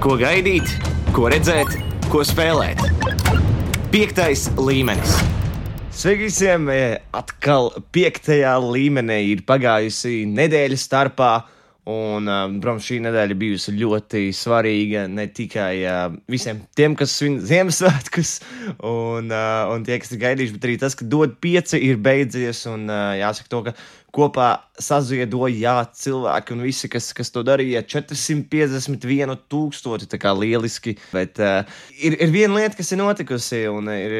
Ko gaidīt, ko redzēt, ko spēlēt. 5. līmenis. Sveiki visiem! Atkal 5. līmenī ir pagājusi nedēļa starpā. Un, protams, šī nedēļa bijusi ļoti svarīga ne tikai visiem tiem, kas svin Ziemassvētkus un tie, kas ir gaidījuši, bet arī tas, ka DOT 5 ir beidzies. Un jāsaka to, ka kopā saziedoja cilvēki un visi, kas to darīja, 451,000. Tā kā lieliski. Bet ir viena lieta, kas ir notikusi un ir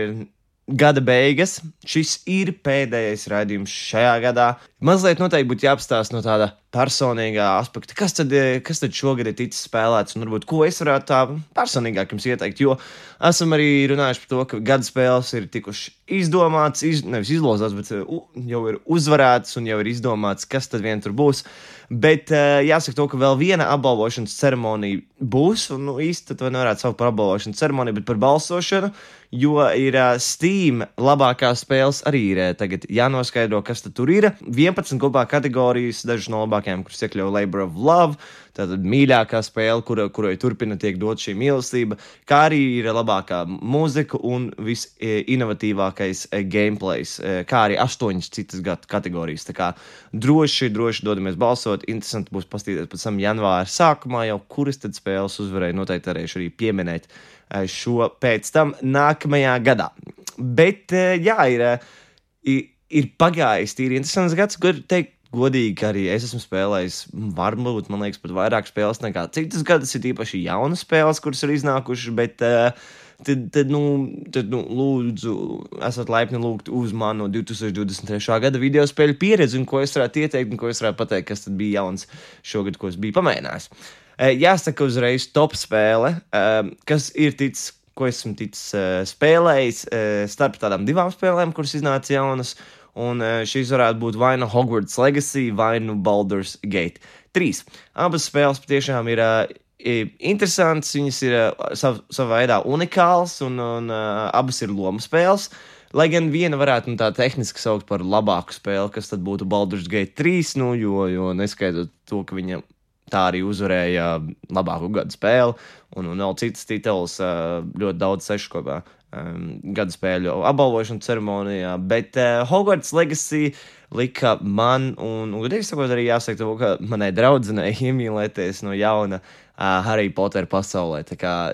gada beigas. Šis ir pēdējais raidījums šajā gadā. Mazliet noteikti būtu jāapstāsta no tāda personīgā aspekta, kas tad šogad ir ticis spēlēts un varbūt ko es varētu tā personīgāk jums ieteikt, jo esam arī runājuši par to, ka gada spēles ir tikuši izdomāts, nevis izlozāts, bet jau ir uzvarēts un jau ir izdomāts, kas tad vien tur būs. Bet jāsaka to, ka vēl viena apbalvošanas ceremonija būs, un īsti to nevarētu saukt par apbalvošanas ceremoniju, bet par balsošanu, jo ir Steam labākās spēles arī ir tagad jānoskaidro, kas tad tur ir. 11 kopā kategorijas, dažas no labākajām, kuras iekļauj Labor of Love, tātad mīļākā spēle, kurai turpina tiek dot šī mīlestība, kā arī ir labākā mūzika un visinovatīvākais gameplays, kā arī 8 citas kategorijas. Tā kā droši dodamies balsot, interesanti būs paskatīties pēc tam janvāra sākumā jau, kuras tad spēles uzvarēja, noteikti varēšu arī pieminēt šo pēc tam nākamajā gadā. Bet jā, ir pagājis tīri interesants gads, kur teikt godīgi, ka arī es esmu spēlējis varbūt, man liekas, pat vairāk spēles nekā citas gadas, ir īpaši jaunas spēles, kuras ir iznākušas, bet tad lūdzu, esat laipni lūgt uz manu 2023. gada video spēļu pieredzi un ko es varētu ieteikt un ko es varētu pateikt, kas tad bija jauns šogad, ko es biju pamēģinājis. Jāsaka uzreiz top spēle, kas ir ticis, ko esmu ticis spēlējis starp tādām 2 spēlēm, kuras iznāca jaunas, un šīs varētu būt vai nu Hogwarts Legacy, vai nu Baldur's Gate 3. Abas spēles patiešām ir interesants, viņas ir savā veidā unikāls, un abas ir lomu spēles. Lai gan viena varētu tā tehniski saukt par labāku spēli, kas tad būtu Baldur's Gate 3, jo neskaidrot to, ka viņa tā arī uzvarēja labāku gadu spēli, un vēl citas tituls ļoti daudz sešu kopā gada spēļu apbalvošanu ceremonijā, bet Hogwarts Legacy lika man, un godīgi sakot arī jāsaka to, ka manai draudzenei iemīlēties no jauna Harry Potter pasaulē. Tā kā,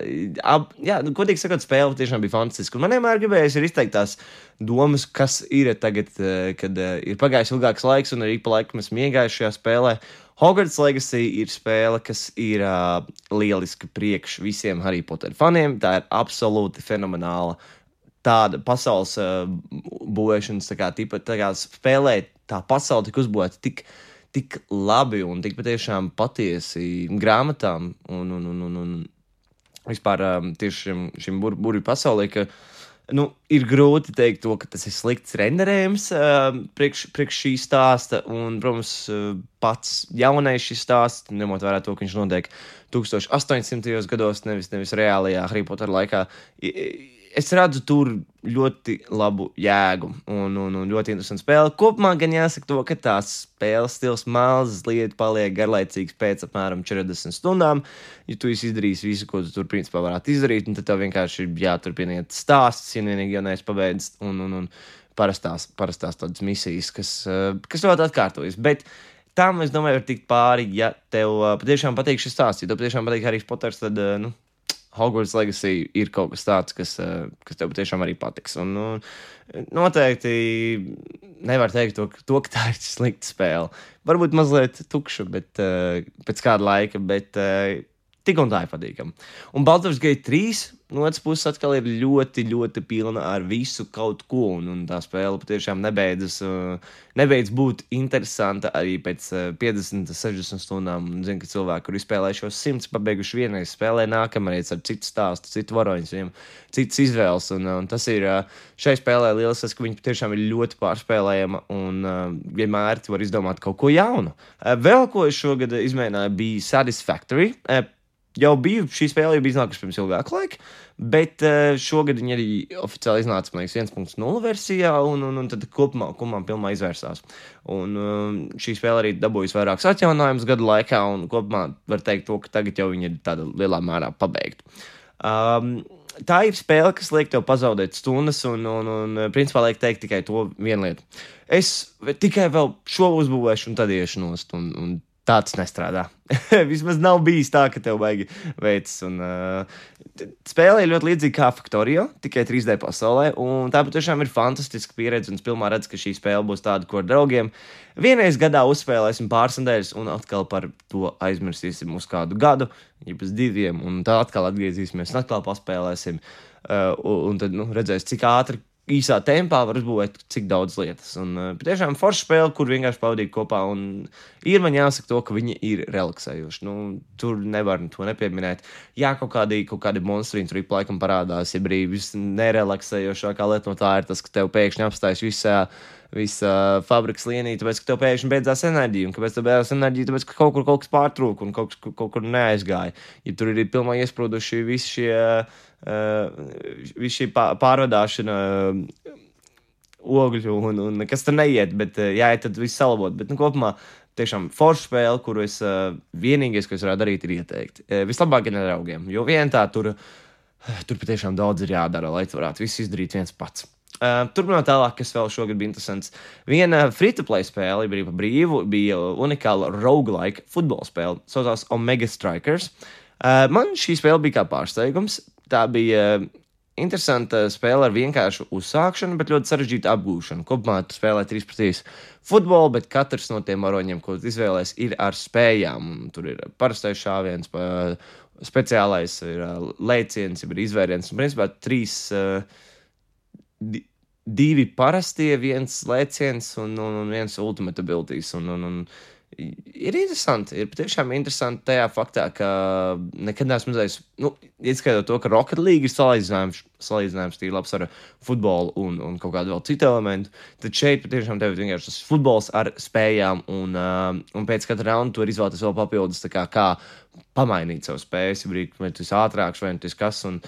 godīgi sakot, spēle tiešām bija fantastiska, un man vienmēr gribējās ir izteikt tās domas, kas ir tagad, kad ir pagājis ilgāks laiks, un arī pa laikam esmu iegājis šajā spēlē. Hogwarts Legacy ir spēle, kas ir lieliska priekš visiem Harry Potter faniem. Tā ir absolūti fenomenāla tāda pasaules būvēšanas, tā kā spēlē tā pasaule tik uzbūvēta tik labi un tik patiešām patiesi grāmatām un vispār tieši šim burvju pasaulē, ka ir grūti teikt to, ka tas ir slikts renderējums priekš šī stāsta, un, protams, pats jaunais šis stāsts, ņemot vērā to, ka viņš notiek 1800. gados, nevis reālajā Harry Potter laikā, es redzu tur ļoti labu jēgu un ļoti interesantu spēli. Kopumā gan jāsaka to, ka tās spēles stils mazliet paliek garlaicīgs pēc apmēram 40 stundām, ja tu izdarīsi visu, ko tu tur principā varētu izdarīt, un tad tev vienkārši ir jāturpiniet stāsts, ja vienīgi jau neesi pabeidz un parastās tādas misijas, kas ļoti atkārtojas. Bet tam, es domāju, var tikt pāri, ja tev patiešām patīk šis stāsts, ja tev patiešām patīk Harry Potters, tad, Hogwarts Legacy ir kaut kas tāds, kas tev patiešām arī patiks. Un noteikti nevar teikt to, ka tā ir slikta spēle. Varbūt mazliet tukša, bet pēc kāda laika, bet tik un tā ir patīkama. Un Baldur's Gate 3 no otras puses atkal ir ļoti, ļoti pilna ar visu kaut ko, un tā spēle patiešām nebeidz būt interesanta arī pēc 50, 60 stundām. Zinu, ka cilvēki, kur izspēlējušos 100, pabeiguši vienreiz spēlē nākamreiz ar citu stāstu, citu varoņus, citas izvēles, un tas ir šai spēlē liels, ka viņa patiešām ir ļoti pārspēlējama, un vienmēr tu var izdomāt kaut ko jaunu. Vēl ko es šogad izmēģināju bija Satisfactory. jau biju, šī spēle jau bija iznākusi pirms ilgāka laika, bet šogad viņi arī oficiāli iznāca, man liekas, 1.0 versijā, un tad kopumā pilnā izvērsās. Un šī spēle arī dabūjusi vairākus atjaunājumus gadu laikā, un kopumā var teikt to, ka tagad jau viņi ir tāda lielā mērā pabeigta. Tā ir spēle, kas liek tev pazaudēt stundas, un principā liek teikt tikai to vienu lietu. Es tikai vēl šo uzbūvēšu, un tad iešu nost, un tā tas nestrādā. Vismaz nav bijis tā, ka tev baigi veids. Spēle ir ļoti līdzīga kā Factorio, tikai 3D pasaulē, un tā patiešām ir fantastiska pieredze, un es pilnībā redzu, ka šī spēle būs tāda, ko ar draugiem vienreiz gadā uzspēlēsim pāris nedēļas, un atkal par to aizmirsīsim uz kādu gadu, ja pēc 2, un tā atkal atgriezīsimies, un atkal paspēlēsim, un tad redzēs, cik ātri īsā tempā var uzbūvēt cik daudz lietas. Un patiešām forša spēle, kur vienkārši pavadīt kopā, un ir man jāsaka to, ka viņi ir relaksējoši. Tur nevar to nepieminēt. Jā, kaut kādi monstrīni tur laikam parādās, ja brīvis nerelaksējošākā lieta no tā ir tas, ka tev pēkšņi apstājas visa fabrikas lienī, tāpēc, ka tev pēkšņi beidzās enerģija, un kāpēc tev beidzās enerģija, tāpēc, ka kaut kas pārtrūka un kaut kur neaizgāja. Ja tur ir pilnībā iesprūduši visi šī pārvadāšana ogļu un kas tur neiet, bet jāiet tad viss salabot. Bet kopumā tiešām forša spēle, kuru es vienīgais, ko es varētu darīt, ir ieteikt. Vislabāk ir ar draugiem, jo vien tā tur patiešām daudz ir jādara, lai tu varētu visu izdarīt viens pats. Turpinot tālāk, kas vēl šogad bija interesants. Viena free-to-play spēle bija pa brīvu, bija unikāla roguelike futbola spēle, saucās Omega Strikers. Man šī spēle bija kā pārsteigums. Tā bija interesanta spēle ar vienkāršu uzsākšanu, bet ļoti sarežģītu apgūšanu. Kopumā tu spēlē 3-3 futbolu, bet katrs no tiem varoņiem, ko tu izvēlēs, ir ar spējām. Tur ir parastais šāviens, speciālais ir lēciens, ir izvēriens. Un principā 2 parastie, 1 lēciens un 1 ultimate abilities. Ir interesanti, ir patiešām interesanti tajā faktā, ka nekad neesmu redzējis, ieskaitot to, ka Rocket League ir salīdzinājums tīri labs ar futbolu un kaut kādu vēl citu elementu, tad šeit patiešām tev ir vienkārši tas futbols ar spējām, un pēc katra raunda tu vari izvēlēties vēl papildus, kā pamainīt savu spējas, vai tu esi ātrāks, vai tu esi kas, un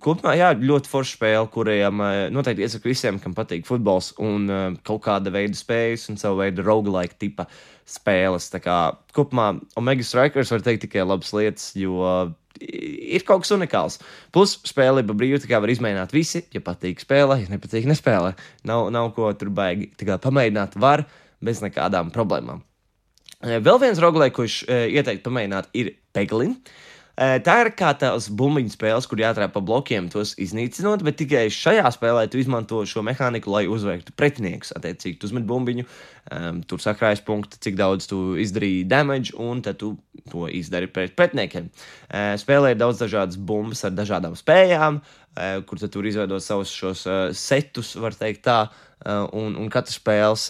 kopumā, jā, ļoti forša spēle, kuriem noteikti iesaku visiem, kam patīk futbols un kaut kāda veida spējas un savu veidu roguelike tipa spēles. Tā kā kopumā Omega Strikers var teikt tikai labas lietas, jo ir kaut kas unikāls. Plus spēle ir brīva, tā kā var izmēģināt visi, ja patīk spēlē, ja nepatīk nespēlē. Nav ko tur baigi. Tā kā pamēģināt var bez nekādām problēmām. Vēl viens roguelike, ko es ieteiktu pamēģināt, ir Peglin. Tā ir kā tās bumbiņu spēles, kur jātrāp pa blokiem, tos iznīcinot, bet tikai šajā spēlē tu izmanto šo mehāniku, lai uzveiktu pretiniekus. Attiecīgi, tu uzmet bumbiņu, tur sakrājas punkti, cik daudz tu izdarīji damage, un tad tu to izdari pret pretiniekiem. Spēlē ir daudz dažādas bumbas ar dažādām spējām, kur tad tur izveidot savus šos setus, var teikt tā, un katra spēles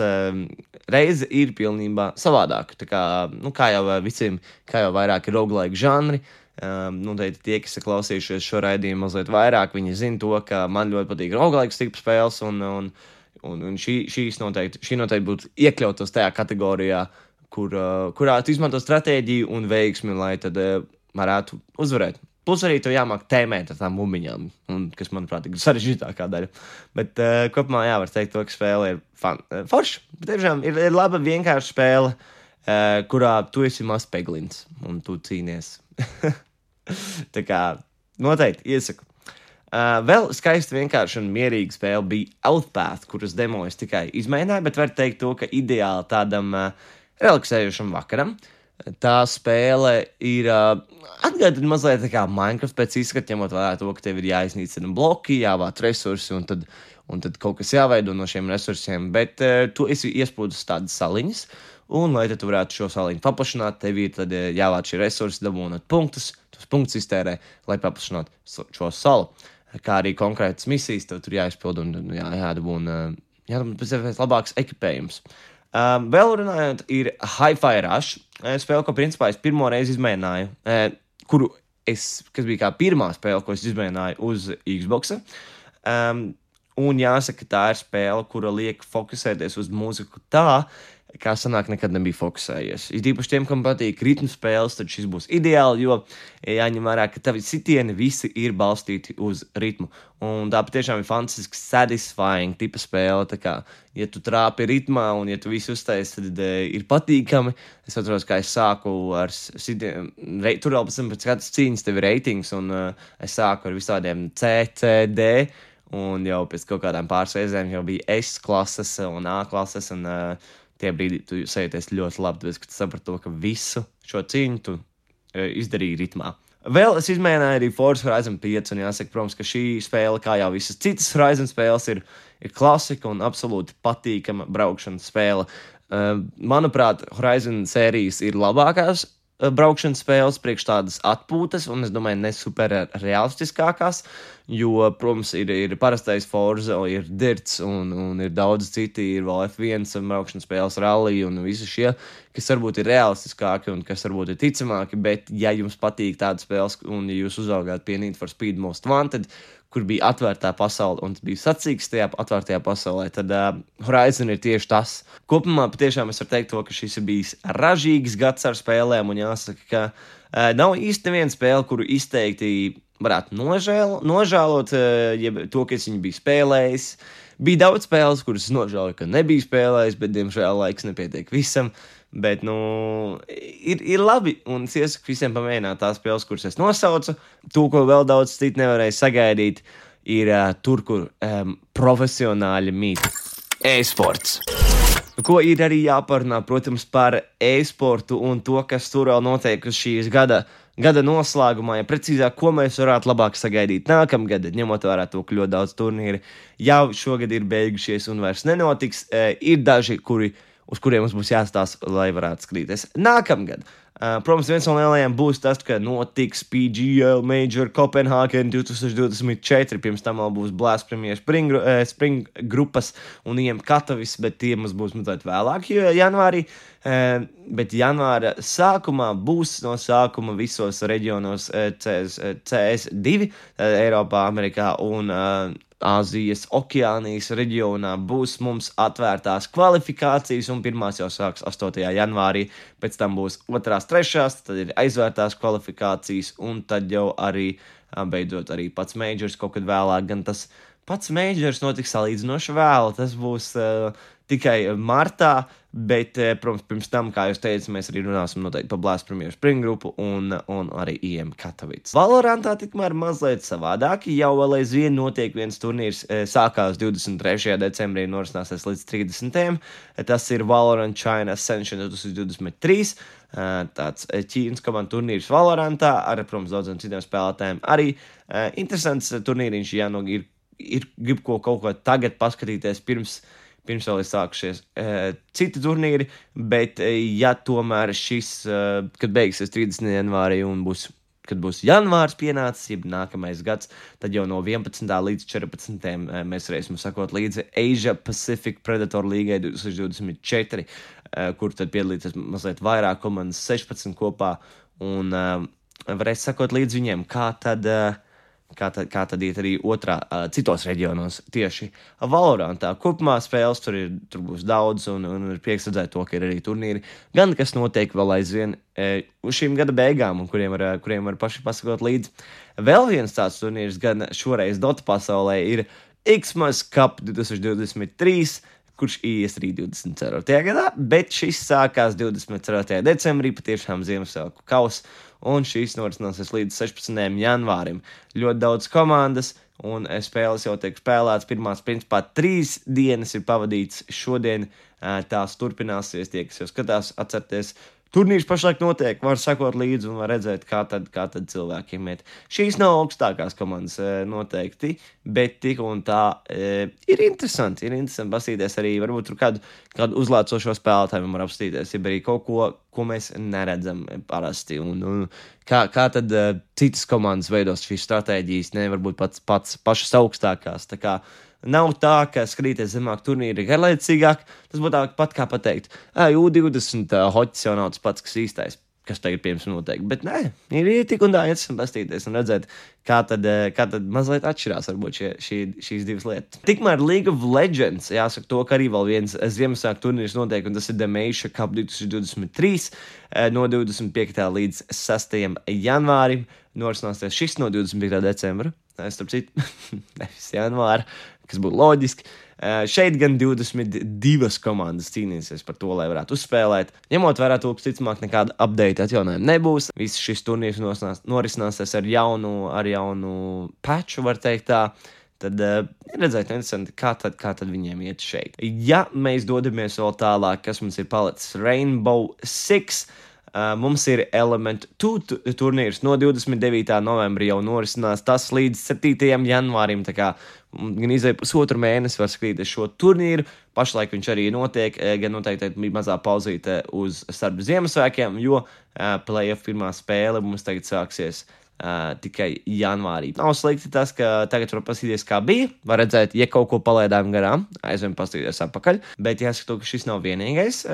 reize ir pilnībā savādāka. Tā kā jau visiem, kā jau vairāk ir roguelike žanri, noteikti tie, kas ir klausījušies šo raidījumu mazliet vairāk, viņi zina to, ka man ļoti patīk roguelike tipu spēles, un šī noteikti būtu iekļautos tajā kategorijā, kurā tu izmanto stratēģiju un veiksmi, lai tad varētu uzvarēt. Plus arī tev jāmāk tēmēt ar tām bumbiņām, kas, manuprāt, ir sarežģītākā daļa. Bet kopumā var teikt to, ka spēle ir forša. Tiešām ir laba vienkārša spēle, kurā tu esi mazs peglins un tu cīnies. Tā kā noteikti iesaku. Vēl skaisti vienkārši un mierīga spēle bija Outpath, kuras demo es tikai izmēģināju, bet var teikt to, ka ideāli tādam relaksējošam vakaram. Tā spēle ir atgādina mazliet tā kā Minecraft pēc izskata, ņemot vērā to, ka tev ir jāiznīcina bloki, jāvāc resursi un tad kaut kas jāveido no šiem resursiem, bet tu esi iesprūdus tādas saliņas, un lai tu varētu šo saliņu paplašināt, tev ir tad jāvāc šie resursi, dabūnot punktus, tos punktus iztērē, lai paplašinātu šo salu. Kā arī konkrētas misijas, tev tur jāizpild un jādabūna pēc iespējas labāks ekipējums. Vēl runājot, ir Hi-Fi Rush, spēle, ko principā es pirmo reizi izmēģināju, kas bija kā pirmā spēle, ko es izmēģināju uz Xboxa. Un jāsaka, tā ir spēle, kura liek fokusēties uz mūziku tā, kā sanāk, nekad nebija fokusējies. Ir īpaši tiem, kam patīk ritmu spēles, tad šis būs ideāli, jo jāņem vērā, ka tavi sitieni visi ir balstīti uz ritmu. Un tā patiešām ir fantastiski satisfying tipa spēle. Tā kā, ja tu trāpi ritmā un ja tu visu uztaisi, tad ir patīkami. Es atceros, kā es sāku ar sitieniem. Tur vēl pēc katras cīņas tev ir reitings, un es sāku ar visādiem C, C, D. Un jau pēc kaut kādām pāris reizēm jau bija S klases un A klases, un tie brīdī tu sajūties ļoti labi, tāpēc, ka tu saprati to, ka visu šo cīņu tu izdarīji ritmā. Vēl es izmēģināju arī Forza Horizon 5, un jāsaka, protams, ka šī spēle, kā jau visas citas Horizon spēles, ir klasika un absolūti patīkama braukšanas spēle. Manuprāt, Horizon sērijas ir labākās braukšanas spēles priekš tādas atpūtas, un es domāju, ne super realistiskākās, jo, protams, ir parastais Forza, ir Dirts, un ir daudz citi, ir vēl F1 braukšanas spēles, rally, un visi šie, kas varbūt ir realistiskāki un kas varbūt ir ticamāki, bet ja jums patīk tādas spēles, un ja jūs uzaugāt pie Need for Speed Most Wanted, kur bija atvērtā pasaule un bija sacīks tajā atvērtajā pasaulē, tad Horizon ir tieši tas. Kopumā patiešām es varu teikt to, ka šis ir bijis ražīgs gads ar spēlēm, un jāsaka, ka nav īsti neviena spēle, kuru izteikti varētu nožēlot, ja to, ka es viņu biju spēlējis. Bija daudz spēles, kuras es nožēloju, ka nebiju spēlējis, bet, diemžēl, laiks nepietiek visam. Bet, ir labi, un es iesaku visiem pamēģināt tās spēles, kuras es nosaucu. To, ko vēl daudz citu nevarēja sagaidīt, ir tur, kur profesionāļi mīt. E-sports. Ko ir arī jāparunā, protams, par e-sportu un to, kas tur vēl notiek uz šīs gada noslēgumā, ja precīzāk, ko mēs varētu labāk sagaidīt nākamgad, ņemot vērā to, ka ļoti daudz turnīri jau šogad ir beigušies un vairs nenotiks. Ir daži, uz kuriem mums būs jāstāsta, lai varētu skatīties nākamgad. Protams, viens no lielajiem būs tas, ka notiks PGL Major Copenhagen 2024. Pirms tam vēl būs Blast Premier Spring grupas un IM Katovis, bet tie mums būs mazliet vēlāk janvārī. Bet janvāra sākumā būs no sākuma visos reģionos CS2, Eiropā, Amerikā un Āzijas, Okeānijas reģionā būs mums atvērtās kvalifikācijas, un pirmās jau sāks 8. janvārī, pēc tam būs 2., 3., tad ir aizvērtās kvalifikācijas, un tad jau arī, beidzot, arī pats Majors kaut kad vēlāk, gan tas pats Majors notiks salīdzinoši vēl, tas būs tikai martā, bet, protams, pirms tam, kā jūs teicat, mēs arī runāsim noteikti par Blast Premier Spring grupu un arī IM Katovic. Valorantā tikmēr mazliet savādāk, jau vēl aizvien notiek viens turnīrs, sākās 23. decembrī, norisināsies līdz 30. Tas ir Valorant China Ascension 2023, tāds Ķīnas komandu turnīrs Valorantā, ar, protams, daudziem citiem spēlētājiem. Arī interesants turnīriņš, ja grib kaut ko tagad paskatīties pirms vēl ir sākušies citi turnīri, bet ja tomēr šis, kad beigsies 30. janvārī un kad būs janvārs pienācis, jeb nākamais gads, tad jau no 11. līdz 14. mēs varēsim sakot līdzi Asia Pacific Predator Līgai 2024, kur tad piedalīties mazliet vairāk komandas 16 kopā, un varēs sakot līdz viņiem, kā tad iet arī citos reģionos tieši Valorantā. Kopumā spēles tur būs daudz, un ir prieks redzēt to, ka ir arī turnīri, gan kas notiek vēl aizvien uz šīm gada beigām, un kuriem var paši pasakot līdzi. Vēl viens tāds turnīrs, gan šoreiz Dota pasaulē, ir Xmas Cup 2023, kurš ies arī 24. gadā, bet šis sākās 24. decembrī, patiešām Ziemassvētku kauss, un šīs norisināsies līdz 16. janvārim. Ļoti daudz komandas, un spēles jau tiek spēlētas. Pirmās, principā, 3 dienas ir pavadīts šodien, tās turpināsies, tie, kas jau skatās, atcerieties. Turnīrs pašlaik notiek, var sekot līdzi un var redzēt, kā tad cilvēkiem iet. Šīs nav augstākās komandas noteikti, bet tik un tā ir interesanti pastīties arī, varbūt tur kādu uzlācošo spēlētāju var apstīties, ja arī kaut ko mēs neredzam parasti. Un kā tad citas komandas veidos šīs stratēģijas, varbūt pašas augstākās, tā kā nav tā, ka skatīties zemāk turnīri ir garlaicīgāk. Tas būtu tāpat kā pateikt, U20 hoķis jau nav tas pats, kas īstais. kas tagad pirms noteikti. Bet nē, ir tik un tā interesanti pastīties un redzēt, kā tad mazliet atšķirās varbūt šīs divas lietas. Tikmēr League of Legends, jāsaka to, ka arī vēl viens Ziemassvētku turnīrs notiek, un tas ir The Meisha Cup 2023 no 25. līdz 6. janvārim. Norisināsies šis no 25. decembra. Starp citu, nevis janvāra, kas būtu loģiski. Šeit gan 22 komandas cīnīsies par to, lai varētu uzspēlēt. Ņemot vērā to, ka ticamāk nekāda update atjaunājuma nebūs. Viss šis turnīrs norisināsies ar jaunu patchu, var teikt tā. Tad redzēt, interesanti, kā tad viņiem iet šeit. Ja mēs dodamies vēl tālāk, kas mums ir palicis Rainbow Six, mums ir Element 2 turnīrs no 29. novembra jau norisinās tas līdz 7. janvārim, tā kā gan izvēja pusotru mēnesi var skatīties šo turnīru. Pašlaik viņš arī notiek, gan noteikti bija mazā pauzīte uz starp Ziemassvētkiem, jo playoff pirmā spēle mums tagad sāksies tikai janvārī. Nav slikti tas, ka tagad var paskatīties, kā bija. Var redzēt, ja kaut ko palaidām garām, aizvien paskatīties atpakaļ. Bet jāsaka, ka šis nav vienīgais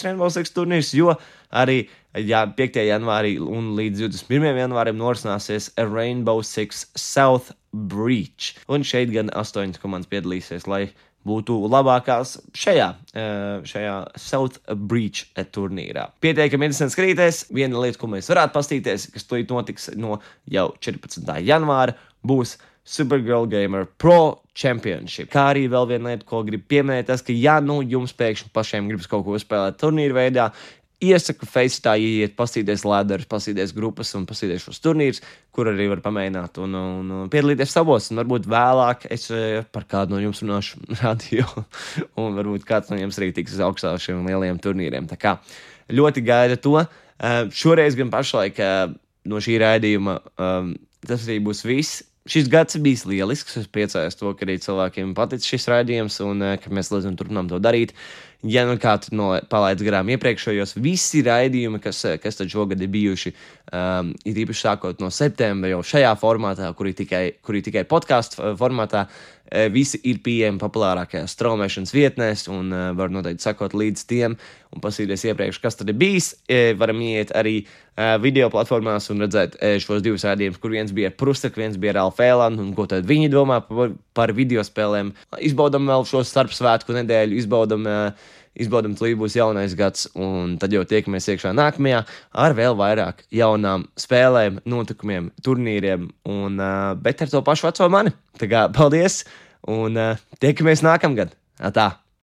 Rainbow Six turnīrs, jo arī 5. janvārī un līdz 21. janvārim norisināsies Rainbow Six South Breach. Un šeit gan 8 komandas piedalīsies, lai būtu labākās šajā South Breach turnīrā. Pietiekami interesanti skatīties. Viena lieta, ko mēs varētu pastīties, kas tūlīt notiks no jau 14. janvāra, būs Supergirl Gamer Pro Championship. Kā arī vēl viena lieta, ko gribu pieminēt, tas, ka jums pēkšņi pašiem gribas kaut ko spēlēt turnīru veidā, iesaku Facetā iet, pastīties ladderus, pastīties grupas un pastīties šos turnīrus, kur arī var pamēģināt un piedalīties savos. Un varbūt vēlāk es par kādu no jums runāšu radio, un varbūt kāds no jums arī tiks uz augstā šiem lielajiem turnīriem. Tā kā ļoti gaida to. Šoreiz gan pašlaik no šī raidījuma tas arī būs viss. Šis gads ir bijis lielisks. Es priecājos to, ka arī cilvēkiem patic šis raidījums un ka mēs līdz turpinām to darīt. Ja nu kā tu palaidz garām iepriekšējos, visi raidījumi, kas tad šogad ir bijuši, ir īpaši sākot no septembra jau šajā formātā, kuri tikai podcastu formātā, visi ir pieejami populārākajās straumēšanas vietnēs un var noteikti sakot līdz tiem un pasīties iepriekš, kas tad ir bijis. Varam iet arī video platformās un redzēt šos divus raidījumus, kur viens bija ar Prustaku, viens bija ar Alfēlanu un ko tad viņi domā par videospēlēm. Izbaudam vēl šo starpsvētku nedēļu, izbaudam, līdz būs jaunais gads, un tad jau tiekamies iekšā nākamajā ar vēl vairāk jaunām spēlēm, notikumiem, turnīriem, bet ar to pašu veco mani. Tā kā paldies, un tiekamies nākamgad. Tā.